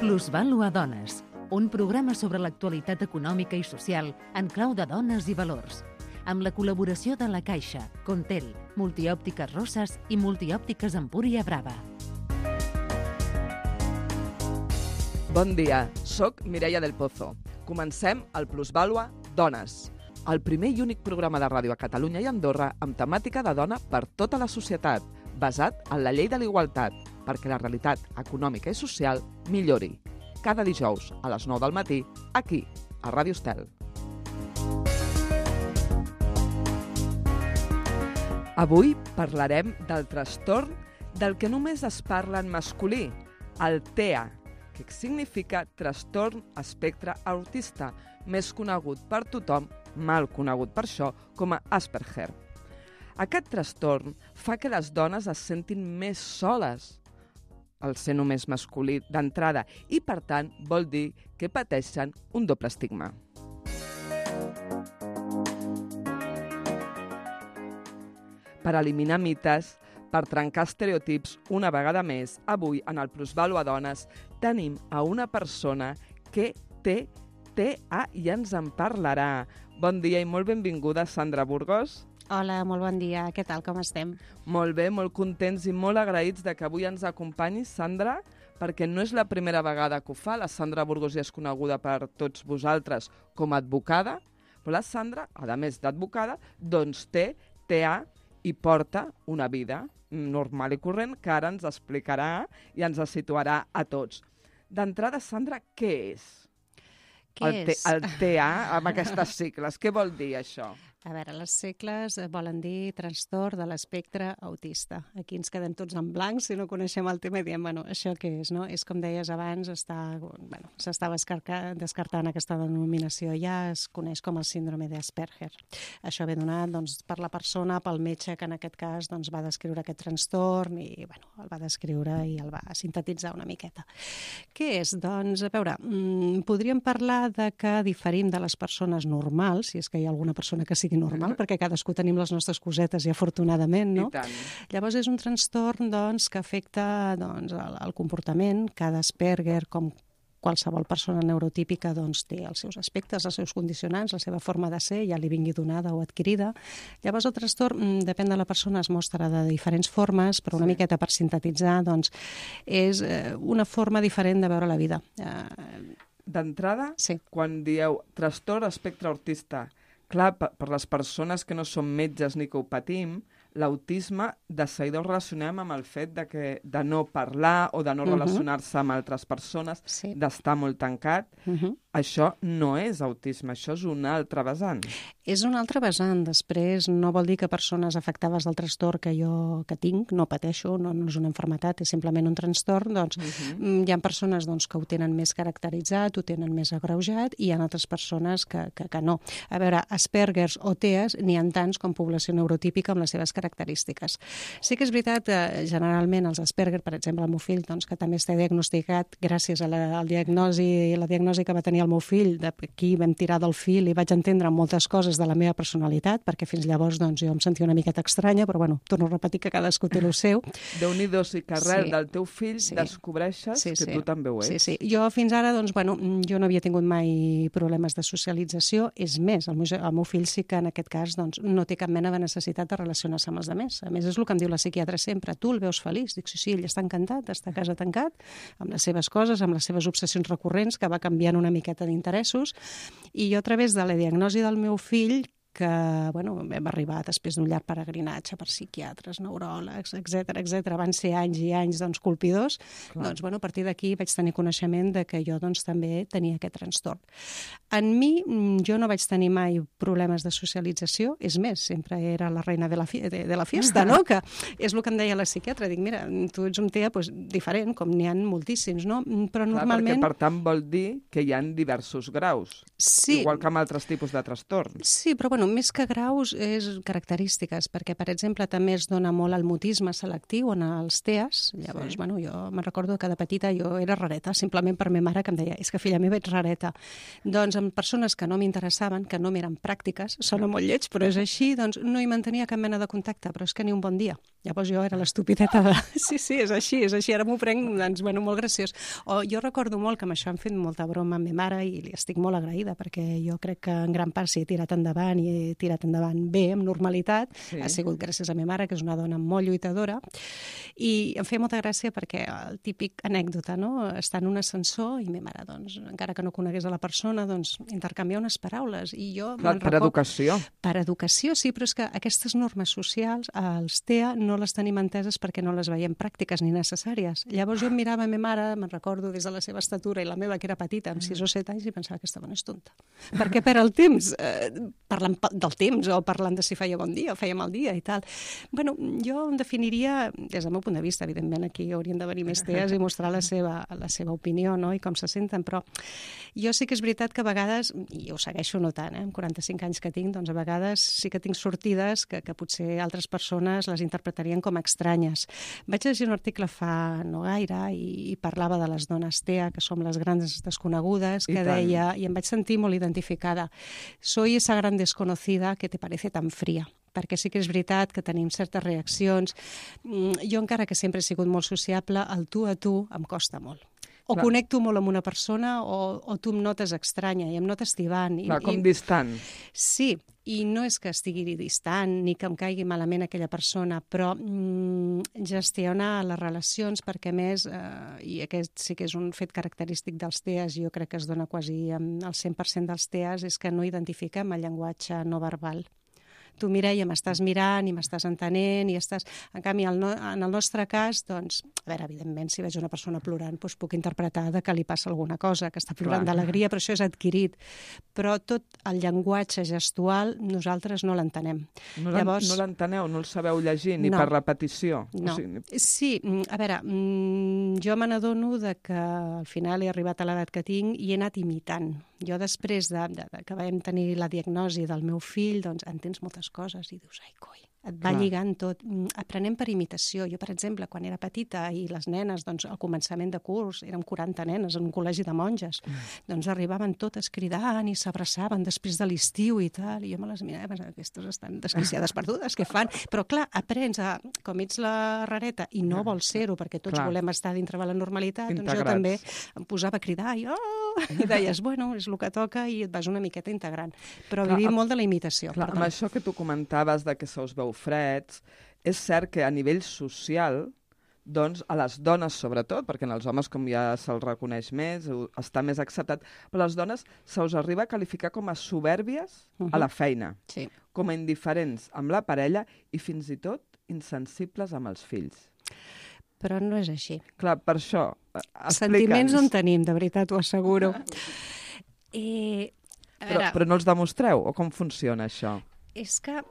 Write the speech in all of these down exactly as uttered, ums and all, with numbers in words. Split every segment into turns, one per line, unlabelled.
Plusvàlua Dones, un programa sobre l'actualitat econòmica i social en clau de dones i valors, amb la col·laboració de La Caixa, Contel, Multiòptiques Rosses i Multiòptiques Empúria Brava.
Bon dia, soc Mireia del Pozo. Comencem el Plusvàlua Dones, el primer i únic programa de ràdio a Catalunya i Andorra amb temàtica de dona per tota la societat, basat en la llei de la igualtat, perquè la realitat econòmica i social millori. Cada dijous a les nou del matí, aquí, a Ràdio Estel. Avui parlarem del trastorn del que només es parla en masculí, el T E A, que significa Trastorn Espectre Autista, més conegut per tothom, mal conegut per això, com a Asperger. Aquest trastorn fa que les dones es sentin més soles, el ser només masculí d'entrada, i per tant vol dir que pateixen un doble estigma. Per eliminar mites, per trencar estereotips una vegada més, avui en el Plusvàlua Dones tenim a una persona que té T E A i ens en parlarà. Bon dia i molt benvinguda, Sandra Burgos.
Hola, molt bon dia. Què tal, com estem?
Molt bé, molt contents i molt agraïts de que avui ens acompanyis, Sandra, perquè no és la primera vegada que ho fa. La Sandra Burgos ja és coneguda per tots vosaltres com a advocada, però la Sandra, a més d'advocada, doncs té T E A i porta una vida normal i corrent que ara ens explicarà i ens situarà a tots. D'entrada, Sandra, què és?
Què
el
és?
El T E A amb aquestes sigles. Què vol dir això?
A veure, les sigles volen dir trastorn de l'espectre autista. Aquí ens quedem tots en blanc si no coneixem el tema i diem, bueno, això què és, no? És com deies abans, està, bueno, s'estava descartant aquesta denominació. Ja es coneix com el síndrome d'Asperger. Això ve donat doncs, per la persona, pel metge que en aquest cas doncs, va descriure aquest trastorn i bueno, el va descriure i el va sintetitzar una miqueta. Què és? Doncs, a veure, podríem parlar de que diferim de les persones normals, si és que hi ha alguna persona que sigui normal, perquè cadascú tenim les nostres cosetes i afortunadament, no?
I tant.
Llavors és un trastorn doncs, que afecta doncs, el, el comportament. Cada Asperger, com qualsevol persona neurotípica, doncs, té els seus aspectes, els seus condicionants, la seva forma de ser, ja li vingui donada o adquirida. Llavors el trastorn, depèn de la persona, es mostra de diferents formes, però una sí. miqueta per sintetitzar, doncs, és una forma diferent de veure la vida.
D'entrada,
sí.
quan dieu trastorn espectre autista, clar, per les persones que no som metges ni que ho patim, l'autisme de seguida ho relacionem amb el fet de, que, de no parlar o de no uh-huh. relacionar-se amb altres persones, sí. d'estar molt tancat. Uh-huh. Això no és autisme, això és un altre vessant.
És un altre vessant. Després no vol dir que persones afectades del trastorn que jo que tinc, no pateixo, no, no és una malaltia, és simplement un trastorn, doncs uh-huh. hi ha persones doncs, que ho tenen més caracteritzat, ho tenen més agreujat, i hi ha altres persones que, que, que no. A veure, Aspergers o T E As n'hi ha tants com població neurotípica amb les seves característiques. Sí que és veritat que generalment els Asperger, per exemple, el meu fill, doncs, que també està diagnosticat gràcies a la, al diagnosi, la diagnosi que va tenir el meu fill, d'aquí vam tirar del fil i vaig entendre moltes coses de la meva personalitat, perquè fins llavors doncs, jo em sentia una miqueta estranya, però bueno, torno a repetir que cadascú té el seu.
Déu-n'hi-do, sí que arrel
sí.
del teu fill sí. descobreixes
sí,
que
sí.
tu també ho ets.
Sí, sí. Jo fins ara, doncs, bueno, jo no havia tingut mai problemes de socialització, és més, el meu, el meu fill sí que en aquest cas doncs, no té cap mena de necessitat de relacionar-se amb els altres. A més, és el que em diu la psiquiatra sempre, tu el veus feliç? Dic, sí, sí, ell està encantat, està a casa tancat, amb les seves coses, amb les seves obsessions recurrents, que va canviant una miqueta d'interessos, i jo a través de la diagnosi del meu fill, que bueno, vam arribar després d'un llarg peregrinatge per psiquiatres, neuròlegs, etcètera, etcètera. Van ser anys i anys doncs, colpidors. Clar. Doncs, bueno, a partir d'aquí vaig tenir coneixement de que jo doncs, també tenia aquest trastorn. En mi, jo no vaig tenir mai problemes de socialització, és més, sempre era la reina de la, fi de, de la fiesta, no? Que és el que em deia la psiquiatra. Dic, mira, tu ets un T E A pues, diferent, com n'hi ha moltíssims, no? Però
Clar,
normalment...
Perquè, per tant, vol dir que hi ha diversos graus,
sí.
igual que amb altres tipus de trastorns.
Sí, però bueno, més que graus és característiques, perquè, per exemple, també es dona molt el mutisme selectiu en els T E As. Llavors, sí. bueno, jo me'n recordo que de petita jo era rareta, simplement per ma mare que em deia, és que filla meva ets rareta. Doncs amb persones que no m'interessaven, que no m'eren pràctiques, sona molt lleig, però és així, doncs no hi mantenia cap mena de contacte, però és que ni un bon dia. Llavors jo era l'estupideta de... Sí, sí, és així, és així, ara m'ho prenc, doncs, bueno, molt graciós. O jo recordo molt que amb això hem fet molta broma amb ma mare i li estic molt agraïda, perquè jo crec que en gran part si he tirat endavant i he tirat endavant bé, amb normalitat, sí. Ha sigut gràcies a ma mare, que és una dona molt lluitadora, i em feia molta gràcia perquè el típic anècdota, no? Estar en un ascensor i ma mare, doncs, encara que no conegués a la persona, doncs, intercanviar unes paraules. I jo...
Clar, per record... educació.
Per educació, sí, però és que aquestes normes socials, els T E A, no les tenim enteses perquè no les veiem pràctiques ni necessàries. Llavors jo em mirava a ma mare, me'n recordo des de la seva estatura i la meva, que era petita, amb sis o set anys, i pensava que aquesta dona és tonta. Per què perd el temps? Eh, parlant del temps o parlant de si feia bon dia o feia mal dia i tal. Bueno, jo em definiria, des del meu punt de vista, evidentment aquí haurien de venir més T E As i mostrar la seva, la seva opinió, no?, i com se senten, però jo sí que és veritat que a vegades, i ho segueixo notant, eh, amb quaranta-cinc anys que tinc, doncs a vegades sí que tinc sortides que, que potser altres persones les interpretarien com estranyes. Vaig llegir un article fa no gaire i, i parlava de les dones T E A, que som les grans desconegudes, que deia, i em vaig sentir molt identificada, soy esa gran desconocida que te parece tan fría, perquè sí que és veritat que tenim certes reaccions. Jo, encara que sempre he sigut molt sociable, el tu a tu em costa molt. O Clar. Connecto molt amb una persona o, o tu em notes estranya i em notes tibant.
Clar,
i,
com
i...
distant.
Sí, i no és que estigui distant ni que em caigui malament aquella persona, però mm, gestionar les relacions, perquè a més, eh, i aquest sí que és un fet característic dels T E As, jo crec que es dona quasi el cent per cent dels T E As, és que no identifiquem el llenguatge no verbal. Tu, Mireia, m'estàs mirant i m'estàs entenent i estàs... En canvi, en el nostre cas, doncs, a veure, evidentment, si veig una persona plorant, doncs puc interpretar que li passa alguna cosa, que està plorant d'alegria, però això és adquirit. Però tot el llenguatge gestual nosaltres no l'entenem.
No Llavors... no l'enteneu, no el sabeu llegir, ni no. per repetició?
No.
O sigui...
Sí, a veure, jo me n'adono que al final he arribat a l'edat que tinc i he anat imitant. Jo després de, de, de que vam tenir la diagnosi del meu fill, doncs entens moltes coses i dius, ai, coi, et va Clar. Lligant tot. Aprenem per imitació. Jo, per exemple, quan era petita i les nenes, doncs, al començament de curs, érem quaranta nenes en un col·legi de monges, mm. doncs arribaven totes cridant i s'abraçaven després de l'estiu i tal, i jo me les mirava i pensava, aquestes estan desquiciades perdudes, què fan? Però, clar, aprens a, com ets la rareta i no vols ser-ho, perquè tots clar. Volem estar dintre de la normalitat, Integrats. Doncs jo també em posava a cridar i, oh! I deies, bueno, és el que toca i et vas una miqueta integrant. Però clar, vivim molt de la imitació.
Clar, amb això que tu comentaves de que se us veu freds, és cert que a nivell social, doncs, a les dones sobretot, perquè en els homes com ja se'ls reconeix més, està més acceptat, però a les dones se us arriba a qualificar com a soberbies uh-huh. a la feina,
sí.
com a indiferents amb la parella i fins i tot insensibles amb els fills.
Però no és així.
Clar, per això, explica'ns.
Sentiments en tenim, de veritat, ho asseguro. Eh, a
però,
veure,
però no els demostreu? O com funciona això?
És que...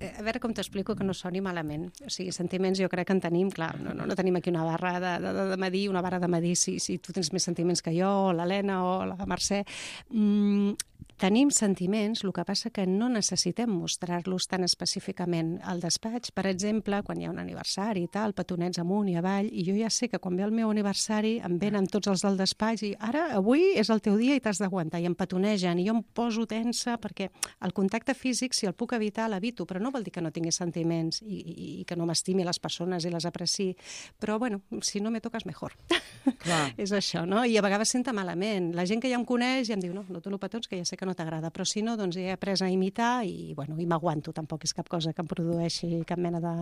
A veure com t'explico que no soni malament. O sigui, sentiments jo crec que en tenim, clar, no, no, no tenim aquí una barra de, de, de medir, una barra de medir si, si tu tens més sentiments que jo, o l'Helena, o la Mercè. Mm, tenim sentiments, el que passa que no necessitem mostrar-los tan específicament al despatx. Per exemple, quan hi ha un aniversari i tal, petonets amunt i avall, i jo ja sé que quan ve el meu aniversari em venen tots els del despatx i ara, avui és el teu dia i t'has d'aguantar, i em petonegen, i jo em poso tensa perquè el contacte físic, si el puc evitar, l'evito, però no vol dir que no tingui sentiments i, i, i que no m'estimi les persones i les apreci, però, bueno, si no me toques, mejor.
Clar.
És això, no? I a vegades senta malament. La gent que ja em coneix ja em diu, no, no te lo petons, que ja sé que no t'agrada, però si no, doncs he après a imitar i, bueno, i m'aguanto, tampoc és cap cosa que em produeixi cap mena de,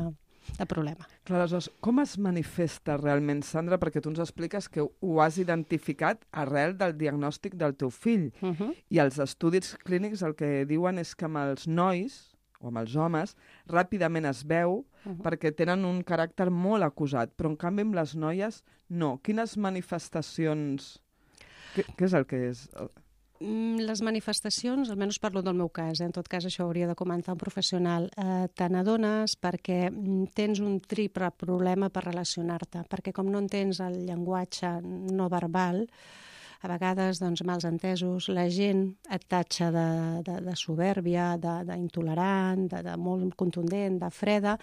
de problema.
Clar, aleshores, com es manifesta realment, Sandra? Perquè tu ens expliques que ho has identificat arrel del diagnòstic del teu fill.
Uh-huh.
I els estudis clínics el que diuen és que amb els nois o amb els homes, ràpidament es veu uh-huh. perquè tenen un caràcter molt acusat, però en canvi amb les noies no. Quines manifestacions... Què, què és el que és?
Les manifestacions, almenys parlo del meu cas, eh? En tot cas això hauria de comentar un professional, eh, te n'adones perquè tens un triple problema per relacionar-te, perquè com no entens el llenguatge no verbal, a vegades, doncs, mals entesos, la gent et tatxa de, de, de soberbia, d'intolerant, de, de, de molt contundent, de freda.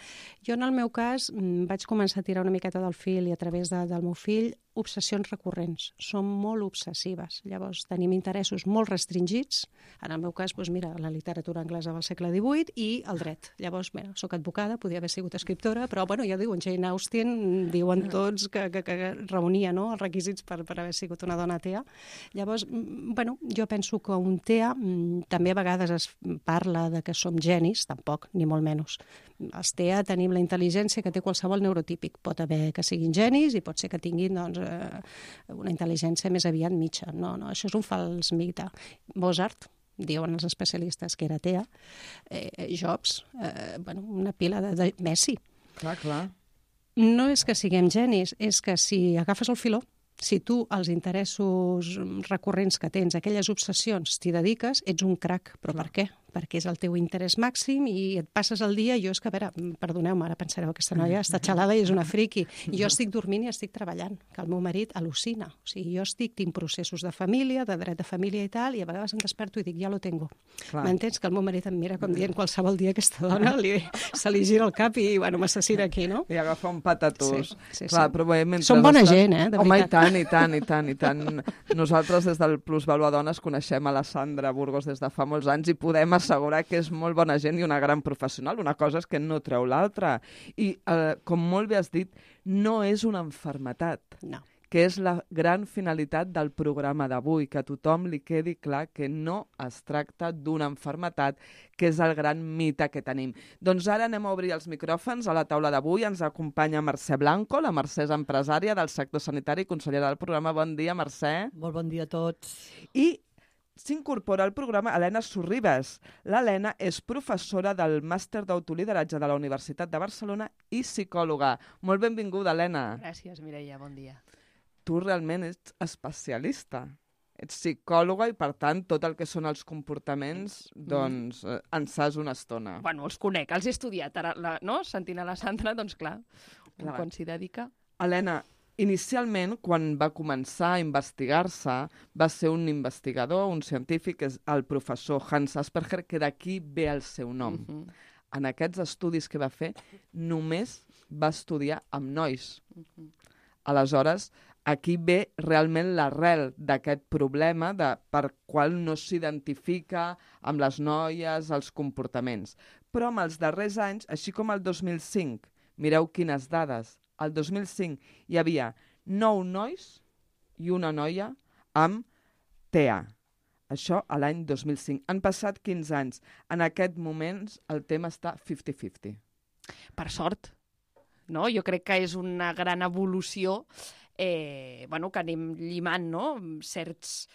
Jo, en el meu cas, vaig començar a tirar una miqueta del fil i a través de, del meu fill obsessions recurrents, són molt obsessives. Llavors, tenim interessos molt restringits. En el meu cas, doncs mira, la literatura anglesa del segle divuit i el dret. Llavors, mira, soc advocada, podia haver sigut escriptora, però, bueno, ja diuen, Jane Austen, diuen tots que, que, que reunia, no?, els requisits per, per haver sigut una dona T E A. Llavors, bueno, jo penso que un T E A, també a vegades es parla de que som genis, tampoc, ni molt menys. Els T E A tenim la intel·ligència que té qualsevol neurotípic. Pot haver que siguin genis i pot ser que tinguin, doncs, una intel·ligència més aviat mitja. No, no, això és un fals mite. Mozart, diuen els especialistes que era T E A, eh, Jobs, eh, bueno, una pila de, de Messi.
Clar, clar.
No és que siguem genis, és que si agafes el filó, si tu als interessos recurrents que tens, aquelles obsessions, t'hi dediques, ets un crac. Però clar. Per què? Perquè és el teu interès màxim i et passes el dia, jo és que, a veure, perdoneu-me, ara pensareu, aquesta noia està xalada i és una friqui. Jo estic dormint i estic treballant, que el meu marit al·lucina. O sigui, jo estic, tinc processos de família, de dret de família i tal, i a vegades em desperto i dic, ja lo tengo. M'entens? Que el meu marit em mira com dient qualsevol dia aquesta dona li, se li gira el cap i, bueno, m'assassina aquí, no?
I agafa un patatús.
Sí, sí,
clar,
sí.
Però bé, mentre
Som bona
estan...
gent, eh? De
Home,
veritat.
i tant, i tant, i tant, i tant. Nosaltres, des del Plus Valua Dones, coneixem a la Sandra Burgos des de fa molts anys i podem assegurar que és molt bona gent i una gran professional. Una cosa és que no treu l'altra. I, eh, com molt bé has dit, no és una malaltia.
No.
Que és la gran finalitat del programa d'avui, que a tothom li quedi clar que no es tracta d'una malaltia, que és el gran mite que tenim. Doncs ara anem a obrir els micròfons a la taula d'avui. Ens acompanya Mercè Blanco, la Mercè és empresària del sector sanitari i consellera del programa. Bon dia, Mercè.
Molt bon dia a tots.
I s'incorpora al programa Helena Sorribes. L'Helena és professora del màster d'autolideratge de la Universitat de Barcelona i psicòloga. Molt benvinguda, Helena.
Gràcies, Mireia, bon dia.
Tu realment ets especialista. Ets psicòloga i, per tant, tot el que són els comportaments, doncs, eh, en saps una estona.
Bueno, els conec, els he estudiat, ara, la, no? Sentint a la Sandra, doncs clar,
Clar.
quan s'hi dedica.
Helena, inicialment, quan va començar a investigar-se, va ser un investigador, un científic, és el professor Hans Asperger, que d'aquí ve el seu nom.
Uh -huh.
En aquests estudis que va fer, només va estudiar amb nois.
Uh -huh.
Aleshores, aquí ve realment l'arrel d'aquest problema de per qual no s'identifica amb les noies, els comportaments. Però en els darrers anys, així com el dos mil cinc, mireu quines dades, el dos mil cinc hi havia nou nois i una noia amb T E A. Això a l'any dos mil cinc. Han passat quinze anys. En aquest moment el tema està cinquanta cinquanta.
Per sort, no? Jo crec que és una gran evolució eh, bueno, que anem llimant, no? Certs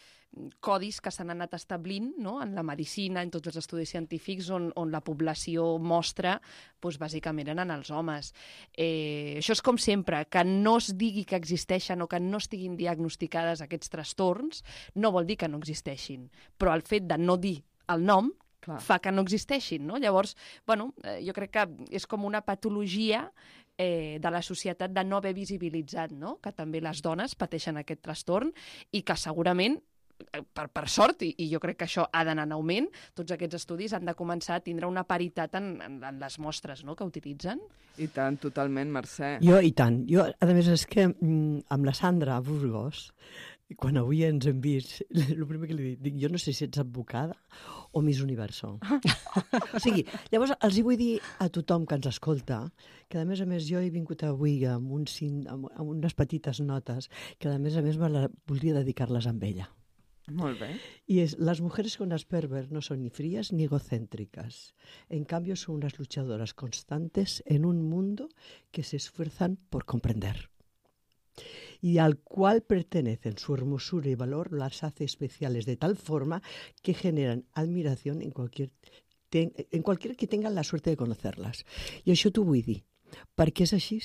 codis que s'han anat establint, no? En la medicina, en tots els estudis científics, on, on la població mostra, doncs, bàsicament eren els homes. Eh, això és com sempre, que no es digui que existeixen o que no estiguin diagnosticades aquests trastorns, no vol dir que no existeixin, però el fet de no dir el nom Clar. fa que no existeixin, no? Llavors, bueno, eh, jo crec que és com una patologia eh, de la societat de no haver visibilitzat, no? Que també les dones pateixen aquest trastorn i que segurament Per, per sort, i, i jo crec que això ha d'anar en augment, tots aquests estudis han de començar a tindre una paritat en, en, en les mostres, no?, que utilitzen.
I tant, totalment, Mercè.
Jo, i tant. Jo, a més, és que mm, amb la Sandra Burgos, quan avui ens hem vist, el primer que li dic, dic, jo no sé si ets advocada o Miss Universo. O sigui, llavors els hi vull dir a tothom que ens escolta que, a més a més, jo he vingut avui amb, un, amb, amb unes petites notes que, a més a més, me la, voldria dedicar-les amb ella.
Molt bé.
Y es, las mujeres con Asperger no son ni frías ni egocéntricas. En cambio, son unas luchadoras constantes en un mundo que se esfuerzan por comprender. Y al cual pertenecen su hermosura y valor las hace especiales de tal forma que generan admiración en cualquier, ten, en cualquier que tenga la suerte de conocerlas. I això t'ho vull dir, perquè és així.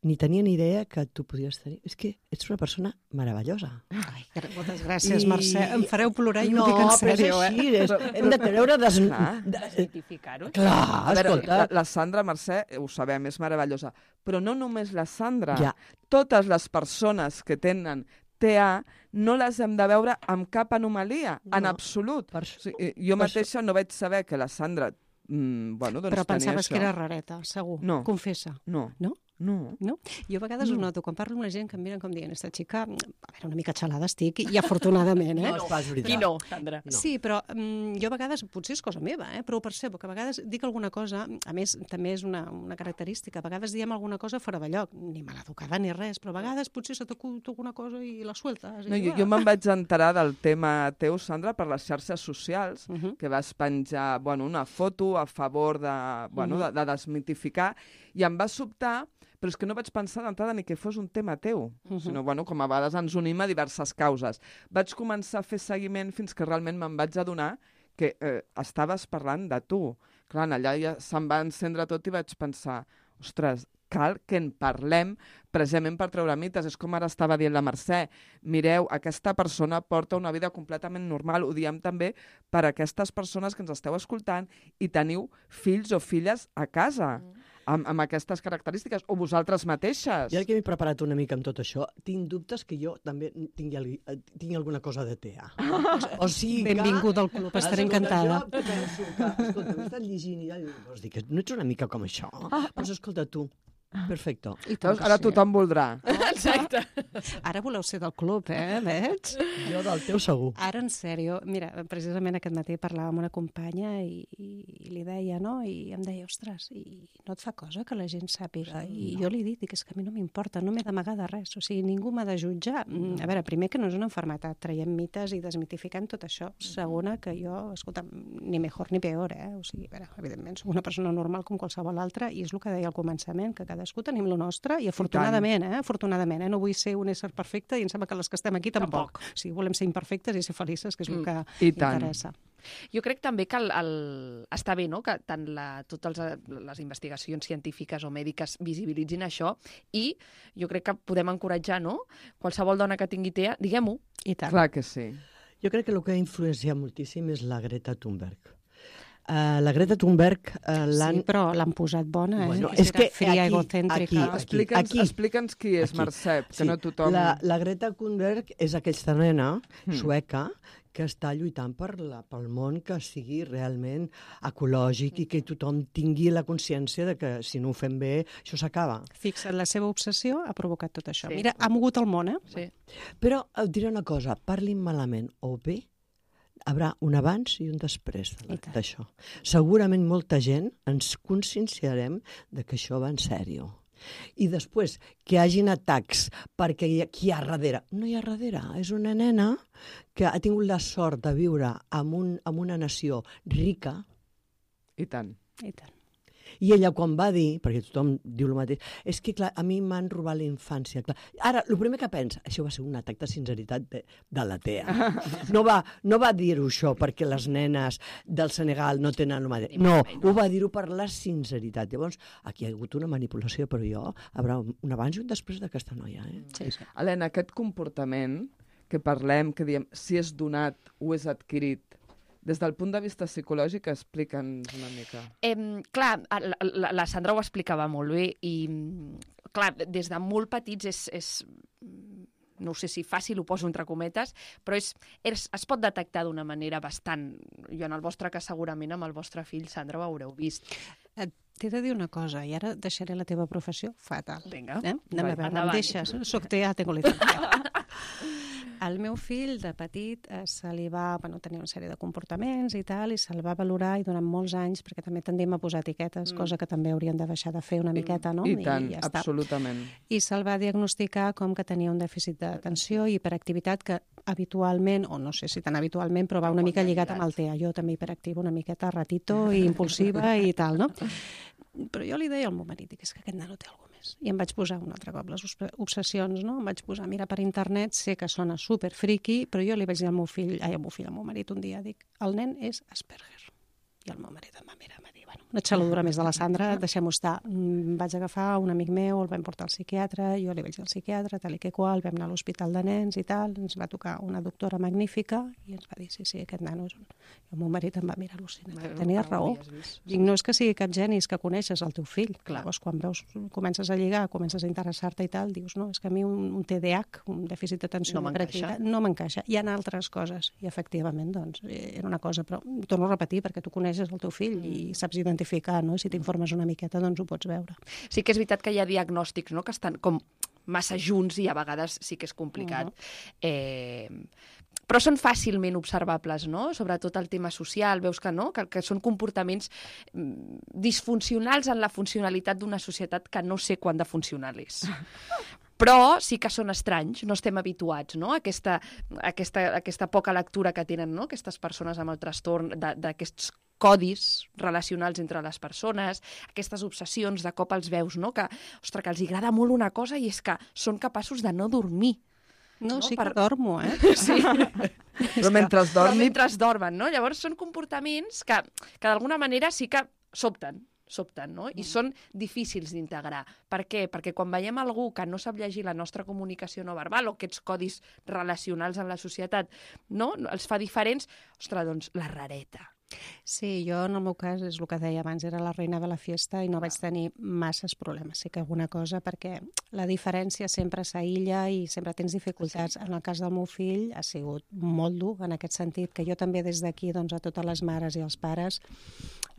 Ni tenia ni idea que tu podies tenir... És que ets una persona meravellosa.
Ai, moltes gràcies, I... Mercè. Em fareu plorar i
no,
ho dic en sèrio,
eh? No, però és així. Hem de treure... Des...
Desmitificar-ho.
Clar,
a veure,
escolta.
La, la Sandra, Mercè, ho sabem, és meravellosa. Però no només la Sandra.
Ja.
Totes les persones que tenen T E A no les hem de veure amb cap anomalia, no, en absolut. Per... O sigui, jo mateixa no vaig saber que la Sandra... Mm, bueno, doncs
Però pensaves
això.
que era rareta, segur.
No.
Confessa.
No.
No?
No.
No? Jo a vegades
No.
ho noto, quan parlo amb la gent que em miren com dient, esta xica, a veure, una mica xalada estic, i afortunadament, eh?
No és pas veritat.
Qui no, Sandra?
No.
Sí, però um, jo a vegades, potser és cosa meva, eh, però ho percebo, que a vegades dic alguna cosa, a més, també és una, una característica, a vegades diem alguna cosa fora de lloc, ni maleducada ni res, però a vegades potser se t'acut alguna cosa i la sueltes.
No,
i,
jo, jo me'n vaig enterar del tema teu, Sandra, per les xarxes socials,
Uh -huh.
que vas penjar bueno, una foto a favor de, bueno,
Mhm.
de, de desmitificar, i em va sobtar, però és que no vaig pensar d'entrada ni que fos un tema teu,
Mhm.
sinó, bueno, com a vegades ens unim a diverses causes. Vaig començar a fer seguiment fins que realment me'n vaig adonar que eh, estaves parlant de tu. Clar, allà ja se'm va encendre tot i vaig pensar, ostres, cal que en parlem precisament per treure mites. És com ara estava dient la Mercè. Mireu, aquesta persona porta una vida completament normal. Ho diem també per a aquestes persones que ens esteu escoltant i teniu fills o filles a casa
Mm.
amb, amb aquestes característiques, o vosaltres mateixes.
I ara que m'he preparat una mica amb tot això, tinc dubtes que jo també tingui, algú- tingui alguna cosa de T E A. O sigui que...
Benvingut al club, estaré
Escolta,
encantada.
Jo penso que, escolta, m'he estat llegint i ja dic, vols dir que no ets una mica com això? Doncs escolta, tu, perfecto.
I tant
Veus?
que
Ara
sí.
tothom voldrà.
Exacte.
Ara voleu ser del club, eh? Veig?
Jo del teu segur.
Ara, en sèrio, mira, precisament aquest matí parlava amb una companya i, i li deia, no? I em deia, ostres, i no et fa cosa que la gent sàpiga? I jo li dic, dic, és que a mi no m'importa, no m'he d'amagar de res, o sigui, ningú m'ha de jutjar. Mm, A veure, primer que no és una malaltia, traiem mites i desmitificant tot això. Segona, que jo, escolta, ni mejor ni peor, eh? O sigui, a veure, evidentment, soc una persona normal com qualsevol altra i és el que deia al començament, que cadascú tenim lo nostre i afortunadament, eh? Afortunadament, eh? No vull ser un ésser perfecte i em sembla que les que estem aquí tampoc. O sigui, volem ser imperfectes i ser felices, que és el
Mm.
que
I tant.
interessa.
Jo crec també que el, el... està bé, no?, que tant la, totes els, les investigacions científiques o mèdiques visibilitzin això, i jo crec que podem encoratjar, no?, qualsevol dona que tingui T E A, diguem-ho.
I tant.
Clar que sí.
Jo crec que el que ha influenciat moltíssim és la Greta Thunberg. Uh, la Greta Thunberg uh, l'han...
Sí, però l'han posat bona, eh?
Bueno,
que
és
serà
que
fria,
aquí,
egocèntrica.
aquí,
Explica'ns
aquí.
explica'ns qui és,
Aquí.
Mercè, que
Sí,
no tothom...
La, la Greta Thunberg és aquesta nena
Mm.
sueca que està lluitant per la, pel món que sigui realment ecològic i que tothom tingui la consciència de que si no ho fem bé, això s'acaba.
Fixa't, la seva obsessió ha provocat tot això.
Sí.
Mira, ha mogut el món, eh?
Sí.
Però et diré una cosa, parlin malament o bé, hi haurà un abans i un després
I tant.
d'això. Segurament molta gent ens conscienciarem de que això va en sèrio. I després, que hi hagin atacs perquè hi ha, qui hi ha darrere? No hi ha darrere, és una nena que ha tingut la sort de viure en, un, en una nació rica,
I tant.
I tant.
i ella quan va dir, perquè tothom diu el mateix, és que clar, a mi m'han robat la infància. Clar. Ara, el primer que pensa, això va ser un atac de sinceritat de, de la T E A. No va, no va dir-ho això perquè les nenes del Senegal no tenen el mateix. No, ho va dir-ho per la sinceritat. Llavors, aquí hi ha hagut una manipulació, però jo, hi haurà un abans i un després d'aquesta noia. Eh?
Sí, sí.
Helena, aquest comportament que parlem, que diem si és donat o és adquirit, des del punt de vista psicològic, explica'ns una mica.
Eh, clar, la, la, la Sandra ho explicava molt bé i, clar, des de molt petits és, és no sé si fàcil, ho poso entre cometes, però és, és, es pot detectar d'una manera bastant... Jo en el vostre cas segurament amb el vostre fill, Sandra, ho haureu vist.
Et T'he de dir una cosa, i ara deixaré la teva professió fatal.
Vinga,
Eh? Anem a veure,
endavant.
em deixes? Soc T E A, tengo licencia. Al meu fill, de petit, eh, se li va bueno, tenir una sèrie de comportaments i tal, i se'l va valorar i durant molts anys, perquè també tendim a posar etiquetes,
Mm.
cosa que també haurien de deixar de fer una miqueta, no?
I tant,
ja està.
absolutament.
I se'l va diagnosticar com que tenia un dèficit d'atenció i hiperactivitat que habitualment, o no sé si tan habitualment, però va una mica lligat amb el T E A. Jo també hiperactiva, una miqueta ratito i impulsiva i tal, no? Però jo li deia al meu marit, dic, és que aquest nano té alguna cosa més. I em vaig posar un altre cop les obsessions, no? Em vaig posar a mirar per internet, sé que sona super friki, però jo li vaig dir al meu fill, ai, al meu fill, al meu marit un dia, dic, el nen és Asperger. I el meu marit em va mirar, em va dir, bueno, una xaladura més de la Sandra, deixem-ho estar. Mm, vaig agafar un amic meu, el vam portar al psiquiatre, jo li vaig dir al psiquiatre, tal i que qual, vam anar a l'hospital de nens i tal, ens va tocar una doctora magnífica i ens va dir, sí, sí, aquest nano és un... I el meu marit em va mirar al·lucinat.
Bueno,
Tenies
ho
raó.
havies vist.
Dic, no és que sigui cap geni, és que coneixes el teu fill.
Clar.
Llavors, quan veus, comences a lligar, comences a interessar-te i tal, dius, no, és que a mi un, un T D A H, un dèficit d'atenció,
No m'encaixa.
hiperactivitat, no m'encaixa. Hi ha altres coses. I efectivament, doncs, era una cosa, però torno a repetir, perquè tu coneixes el teu fill i saps identificar quantificar, no? Si t'informes una miqueta, doncs ho pots veure.
Sí que és veritat que hi ha diagnòstics, no?, que estan com massa junts i a vegades sí que és complicat. Uh-huh. eh, però són fàcilment observables, no? Sobretot el tema social, veus que no? Que, que són comportaments disfuncionals en la funcionalitat d'una societat que no sé quan de funcional és. Però sí que són estranys, no estem habituats, no?, a aquesta, aquesta, aquesta poca lectura que tenen, no?, aquestes persones amb el trastorn, d'aquests codis relacionals entre les persones, aquestes obsessions, de cop els veus, no?, que, ostres, que els agrada molt una cosa i és que són capaços de no dormir.
No, no sí per... que dormo, eh?
Sí.
Però mentre dormi...
Però mentre dormen, no? Llavors són comportaments que, que d'alguna manera sí que sobten, sobten, no? I són difícils d'integrar. Per què? Perquè quan veiem algú que no sap llegir la nostra comunicació no verbal o aquests codis relacionals en la societat, no?, els fa diferents, ostres, doncs la rareta.
Sí, jo en el meu cas és el que deia abans, era la reina de la fiesta i no vaig tenir masses problemes, sí que alguna cosa, perquè la diferència sempre s'aïlla i sempre tens dificultats. En el cas del meu fill ha sigut molt dur en aquest sentit, que jo també des d'aquí doncs, a totes les mares i els pares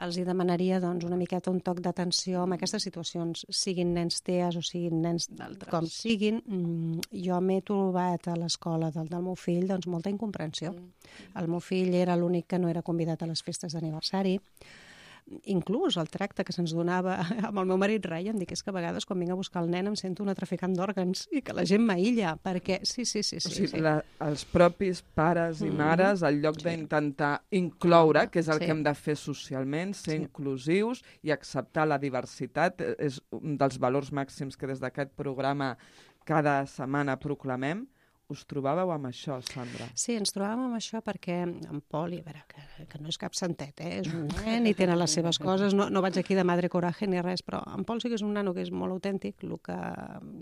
els hi demanaria doncs, una miqueta un toc d'atenció en aquestes situacions, siguin nens T E A S o siguin nens com siguin. Jo m'he trobat a l'escola del, del meu fill doncs, molta incomprensió. El meu fill era l'únic que no era convidat a les festes d'aniversari. Inclús el tracte que se'ns donava amb el meu marit rai, em dic, és que a vegades quan vinc a buscar el nen em sento una traficant d'òrgans i que la gent m'aïlla, perquè sí, sí, sí. sí,
o sigui,
sí.
La, els propis pares i mares, al lloc sí. d'intentar incloure, que és el sí. que hem de fer socialment, ser sí. inclusius i acceptar la diversitat, és un dels valors màxims que des d'aquest programa cada setmana proclamem. Us trobàveu amb això, Sandra?
Sí, ens trobàvem amb això perquè en Pol, a veure, que, que no és cap santet, eh? És un nen i tenen les seves coses, no, no vaig aquí de madre coraje ni res, però en Pol sí que és un nano que és molt autèntic, el que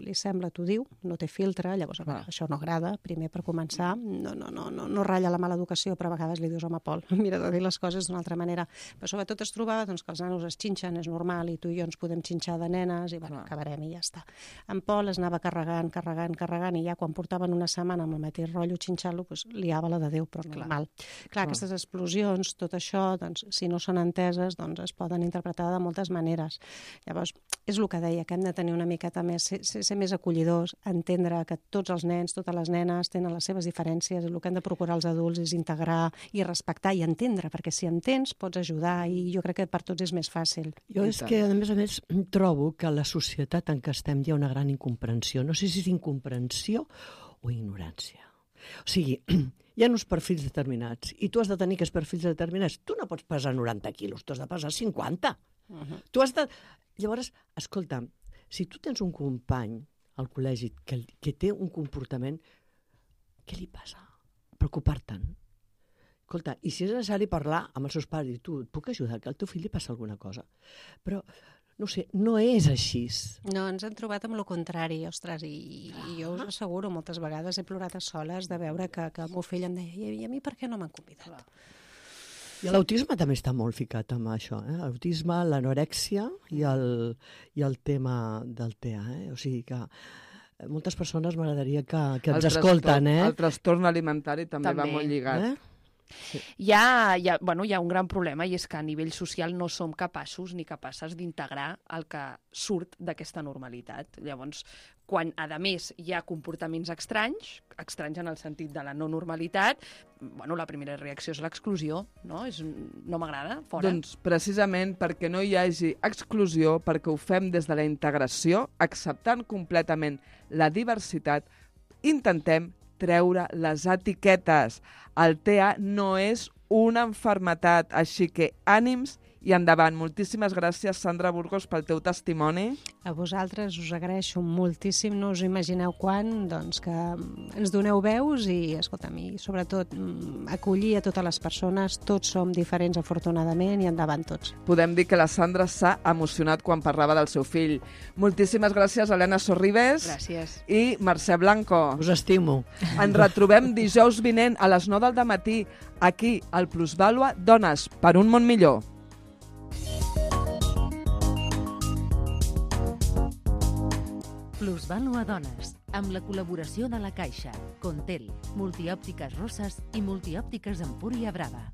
li sembla t'ho diu, no té filtre, llavors a veure, ah. això no agrada, primer per començar, no, no, no, no, no ratlla la mala educació, però a vegades li dius, home, Pol, mira de dir les coses d'una altra manera. Però sobretot es trobava doncs, que els nanos es xinxen, és normal, i tu i jo ens podem xinxar de nenes, i bueno, ah. acabarem i ja està. En Pol es anava carregant, carregant, carregant, i ja quan portaven una setmana amb el mateix rotllo xinxar-lo, doncs, liava la de Déu, però normal. Clar, Clar aquestes explosions, tot això, doncs, si no són enteses, doncs es poden interpretar de moltes maneres. Llavors, és el que deia, que hem de tenir una miqueta més, ser, ser més acollidors, entendre que tots els nens, totes les nenes tenen les seves diferències, i el que hem de procurar els adults és integrar i respectar i entendre, perquè si entens pots ajudar, i jo crec que per tots és més fàcil.
Jo és que, a més a més, trobo que a la societat en què estem hi ha una gran incomprensió. No sé si és incomprensió o ignorància. O sigui, hi ha uns perfils determinats i tu has de tenir aquests perfils determinats. Tu no pots pesar noranta quilos, tu has de pesar cinquanta. Uh-huh. Tu has de... Llavors, escolta, si tu tens un company al col·legi que, que té un comportament, què li passa? Preocupar-te'n. Escolta, i si és necessari parlar amb els seus pares i tu, et puc ajudar, que al teu fill li passa alguna cosa. Però no sé, no és així.
No, ens hem trobat amb el contrari, ostres, i, i jo us asseguro, moltes vegades he plorat a soles de veure que, que el meu fill em deia, i a mi per què no m'han convidat?
I l'autisme també està molt ficat amb això, eh? L'autisme, l'anorèxia i el, i el tema del T E A, eh? O sigui que moltes persones m'agradaria que, que ens escolten, eh?
El trastorn alimentari també, també. va molt lligat. Eh?
Sí. Hi, ha, hi, ha, bueno, hi ha un gran problema i és que a nivell social no som capaços ni capaces d'integrar el que surt d'aquesta normalitat. Llavors, quan a més hi ha comportaments estranys, estranys en el sentit de la no normalitat, bueno, la primera reacció és l'exclusió, no? És, no m'agrada, fora.
Doncs precisament perquè no hi hagi exclusió, perquè ho fem des de la integració, acceptant completament la diversitat, intentem treure les etiquetes. El T E A no és una malaltia, així que ànims i endavant. Moltíssimes gràcies, Sandra Burgos, pel teu testimoni.
A vosaltres us agraeixo moltíssim, no us imagineu quan, doncs que ens doneu veus i, escolta'm, i sobretot acollir a totes les persones, tots som diferents afortunadament i endavant tots.
Podem dir que la Sandra s'ha emocionat quan parlava del seu fill. Moltíssimes gràcies, Helena Sorribes.
Gràcies.
I Mercè Blanco.
Us estimo.
Ens retrobem dijous vinent a les nou del matí, aquí, al Plusvàlua Dones, per un món millor.
Plusvàlua Dones, amb la col·laboració de la Caixa, Contel, Multiòptiques Roses i Multiòptiques Empúria Brava.